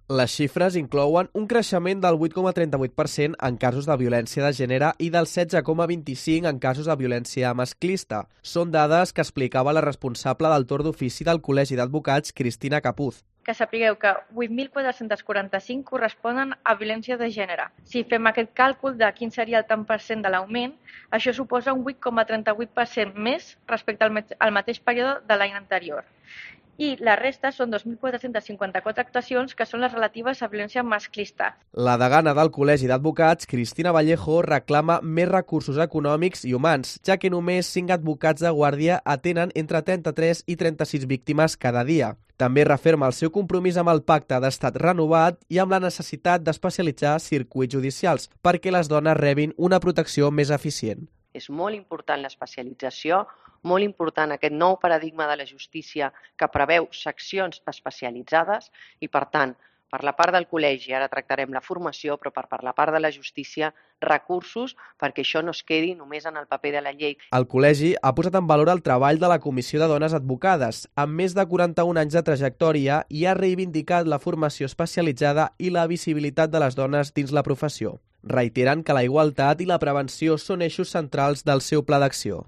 Les xifres inclouen un creixement del 8,38% en casos de violència de gènere i del 16,25% en casos de violència masclista. Són dades que explicava la responsable del torn d'ofici del Col·legi d'Advocats, Cristina Capuz. Que sapigueu que 8.445 corresponen a violència de gènere. Si fem aquest càlcul de quin seria el tant per cent de l'augment, això suposa un 8,38% més respecte al mateix període de l'any anterior. I la resta són 2.454 actuacions que són les relatives a violència masclista. La degana del Col·legi d'Advocats, Cristina Vallejo, reclama més recursos econòmics i humans, ja que només 5 advocats de guàrdia atenen entre 33 i 36 víctimes cada dia. També referma el seu compromís amb el pacte d'estat renovat i amb la necessitat d'especialitzar circuits judicials perquè les dones rebin una protecció més eficient. És molt important l'especialització, molt important aquest nou paradigma de la justícia que preveu seccions especialitzades i, per tant, per la part del col·legi ara tractarem la formació, però per la part de la justícia, recursos perquè això no es quedi només en el paper de la llei. El col·legi ha posat en valor el treball de la Comissió de Dones Advocades, amb més de 41 anys de trajectòria, i ha reivindicat la formació especialitzada i la visibilitat de les dones dins la professió. Reiteren que la igualtat i la prevenció són eixos centrals del seu pla d'acció.